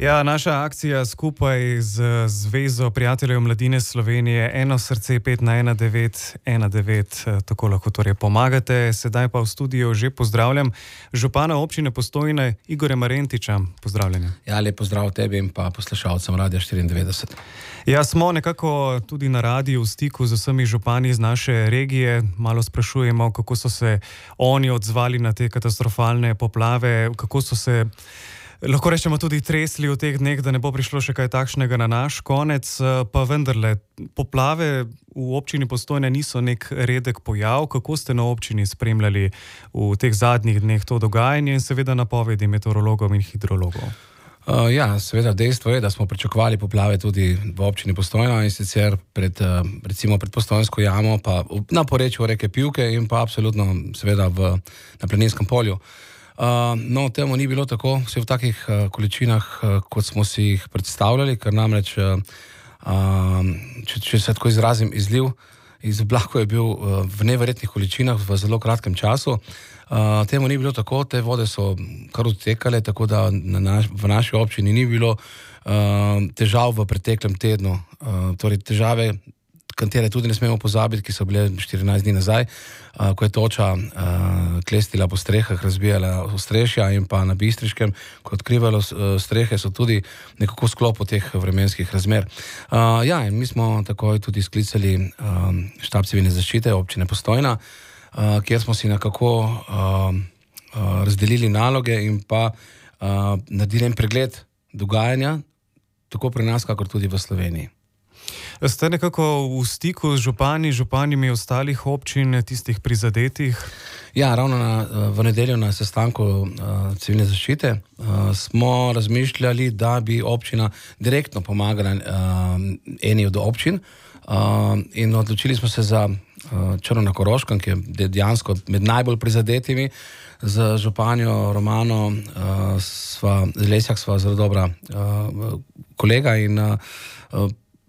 Ja, naša akcija skupaj z Zvezo prijateljev mladine Slovenije Eno srce 5 na 1919, tako lahko torej pomagate. Sedaj pa v studiu že pozdravljam župana občine Postojne Igorja Marentiča. Pozdravljeni. Ja, lep pozdrav tebi in pa poslušalcem Radia 94. Ja, smo nekako tudi na radiju v stiku z vsemi župani iz naše regije. Malo sprašujemo, kako so se oni odzvali na te katastrofalne poplave, kako so se, lahko rečemo, tudi tresli v teh dneh, da ne bo prišlo še kaj takšnega na naš konec. Pa vendarle, poplave v občini Postojne niso nek redek pojav. Kako ste na občini spremljali v teh zadnjih dneh to dogajanje in seveda napovedi meteorologov in hidrologov? Ja, seveda dejstvo je, da smo pričakovali poplave tudi v občini Postojna in sicer recimo pred Postojnsko jamo, pa na porečju reke Pivke in pa absolutno seveda na Planinskem polju. No, temu ni bilo tako, vse v takih količinah, kot smo si jih predstavljali, ker namreč, če se tako izrazim, izliv iz oblakov je bil v neverjetnih količinah v zelo kratkem času. Temu ni bilo tako, te vode so kar odtekale, tako da v naši občini ni bilo težav v preteklem tednu. Torej težave, katere tudi ne smemo pozabiti, ki so bile 14 dni nazaj, ko je toča klestila po strehah, razbijala ostrešja in pa na Bistriškem, ko je odkrivalo strehe, so tudi nekako v sklopu teh vremenskih razmer. Ja, in mi smo takoj tudi sklicali štab civilne zaščite občine Postojna, kjer smo si nekako razdelili naloge in pa naredili en pregled dogajanja, tako pri nas, kakor tudi v Sloveniji. Ste nekako v stiku z županimi ostalih občin, tistih prizadetih? Ja, ravno v nedeljo na sestanku civilne zaščite smo razmišljali, da bi občina direktno pomagala eni od občin in odločili smo se za Črno na Koroškem, ki je dejansko med najbolj prizadetimi. Z županjo Romano Lesjak sva zelo dobra kolega in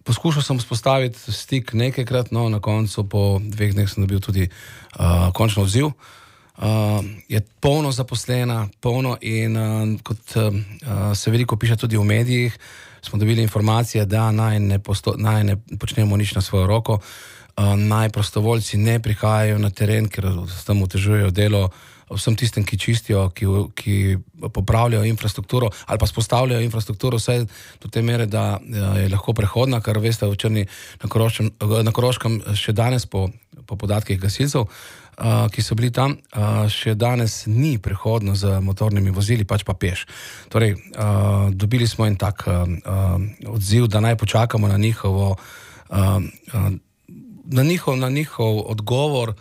poskušal sem vzpostaviti stik nekajkrat, no na koncu po 2 dneh sem dobil tudi končno odziv. Je polno zaposlena, polno in kot se veliko piše tudi v medijih, smo dobili informacije, da naj ne počnemo nič na svojo roko, naj prostovoljci ne prihajajo na teren, ker s tem otežujejo delo vsem tistem, ki čistijo, ki popravljajo infrastrukturo ali pa spostavljajo infrastrukturo vse do te mere, da je lahko prehodna, kar veste, v Črni na Koroškem še danes po podatkih gasilcev, ki so bili tam, še danes ni prehodno z motornimi vozili, pač pa peš. Torej, dobili smo en tak odziv, da naj počakamo na njihov odgovor,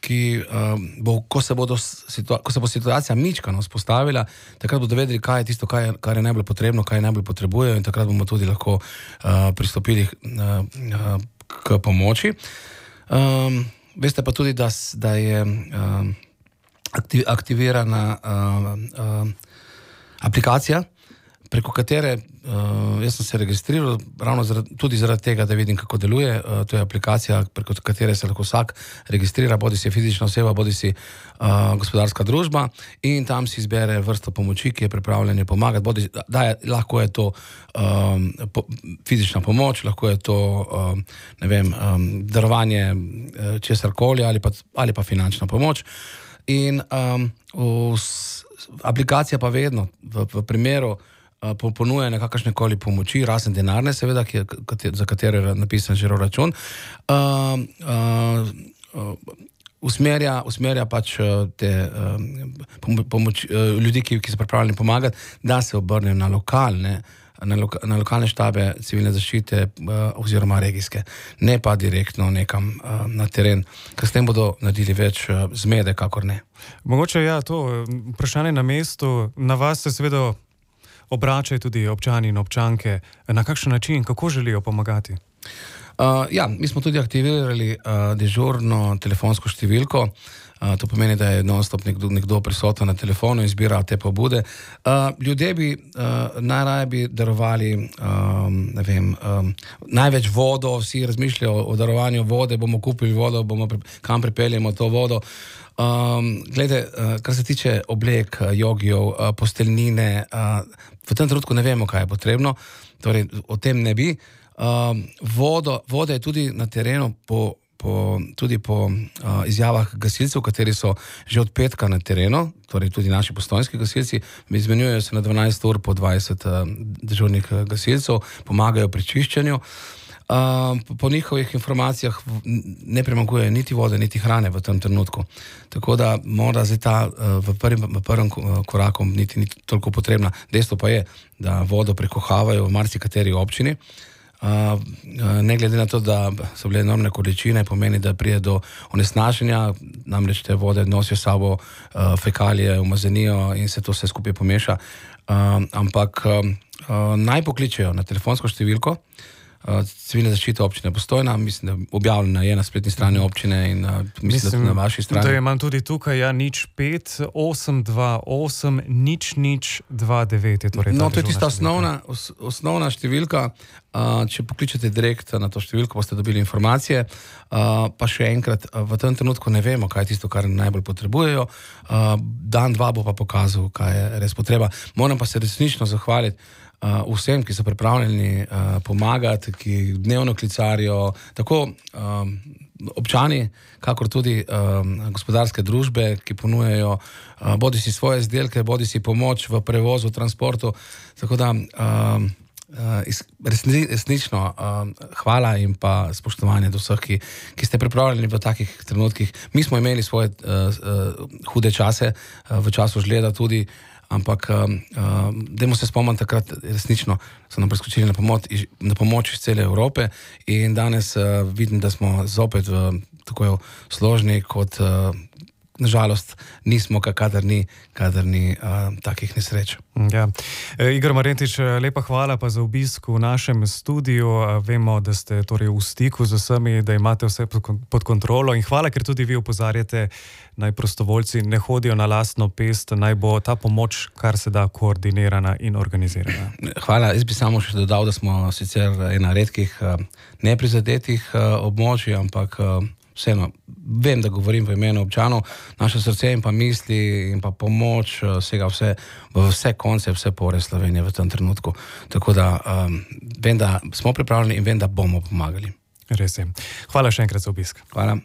ki ko se bo situacija mičkano vzpostavila, takrat bodo vedeli, kaj je tisto, kar je najbolj potrebno, kaj najbolj potrebujejo, in takrat bomo tudi lahko pristopili k pomoči. Veste pa tudi, da je aktivirana aplikacija, preko katere jaz sem se registriral ravno tudi zaradi tega, da vidim, kako deluje. To je aplikacija, preko katere se lahko vsak registrira, bodi si fizična oseba, bodi si gospodarska družba, in tam si izbere vrsto pomoči, ki je pripravljena pomagati. Lahko je to fizična pomoč, lahko je to darovanje česarkoli ali pa finančna pomoč. In aplikacija pa vedno v primeru ponuja nekakšne koli pomoči, razen denarne seveda, za katero je napisan žiro račun, usmerja pač te ljudi, ki so pripravljeni pomagati, da se obrnejo na lokalne štabe civilne zaščite oziroma regijske, ne pa direktno nekam na teren, ker s tem bodo naredili več zmede, kakor ne. Mogoče ja, to vprašanje na mestu, na vas se seveda obračajo tudi občani in občanke. Na kakšen način, kako želijo pomagati? Ja, mi smo tudi aktivirali dežurno telefonsko številko. To pomeni, da je non-stop nekdo prisoten na telefonu in zbira te pobude. Ljudje najraje bi darovali največ vodo, vsi razmišljajo o darovanju vode, bomo kupili vodo, kam pripeljemo to vodo. Glede, kar se tiče oblek, jogijev, posteljnine, v tem trenutku ne vemo, kaj je potrebno, torej o tem ne bi. Voda je tudi na terenu tudi po izjavah gasilcev, kateri so že od petka na terenu, torej tudi naši postojnski gasilci, izmenjujejo se na 12 ur po 20 dežurnih gasilcev, pomagajo pri čiščenju. Po njihovih informacijah ne premaguje niti vode, niti hrane v tem trenutku. Tako da mora zdaj ta v prvem koraku niti toliko potrebna. Dejstvo pa je, da vodo prekohavajo v marsikateri občini. Ne glede na to, da so bile enormne količine, pomeni, da prije do onesnaženja, namreč te vode nosijo sabo fekalije, umazanijo in se to vse skupaj pomeša. Ampak naj pokličejo na telefonsko številko Civilne zaščite občine Postojna, mislim, da objavljena je na spletni strani občine in mislim, da na vaši strani. Da imam tudi tukaj, 05 828 0029. No, to je tista osnovna številka. Če pokličete direkt na to številko, boste dobili informacije. Pa še enkrat, v tem trenutku ne vemo, kaj je tisto, kar najbolj potrebujejo. Dan, dva bo pa pokazal, kaj je res potreba. Moram pa se resnično zahvaliti vsem, ki so pripravljeni pomagati, ki dnevno klicarijo, tako občani, kakor tudi gospodarske družbe, ki ponujajo bodi si svoje izdelke, bodi si pomoč v prevozu, transportu. Tako da resnično hvala in pa spoštovanje do vseh, ki ste pripravljeni v takih trenutkih. Mi smo imeli svoje hude čase, v času žleda tudi, ampak dajmo se spomniti, takrat resnično so nam priskočili na pomoč iz cele Evrope in danes vidim, da smo zopet v tako složni, kot nažalost nismo, kadar ni takih nesreč. Ja. Igor Marjetič, lepa hvala pa za obisk v našem studiu. Vemo, da ste torej v stiku z vsemi, da imate vse pod kontrolo in hvala, ker tudi vi opozarjate, naj prostovoljci ne hodijo na lastno pest, naj bo ta pomoč kar se da koordinirana in organizirana. Hvala, jaz bi samo še dodal, da smo sicer ena redkih neprizadetih območij, ampak vseeno, vem, da govorim v imenu občanov, naše srce in pa misli in pa pomoč sega vse konce, vse pore Slovenije v tem trenutku. Tako da vem, da smo pripravljeni in vem, da bomo pomagali. Res je. Hvala še enkrat za obisk. Hvala.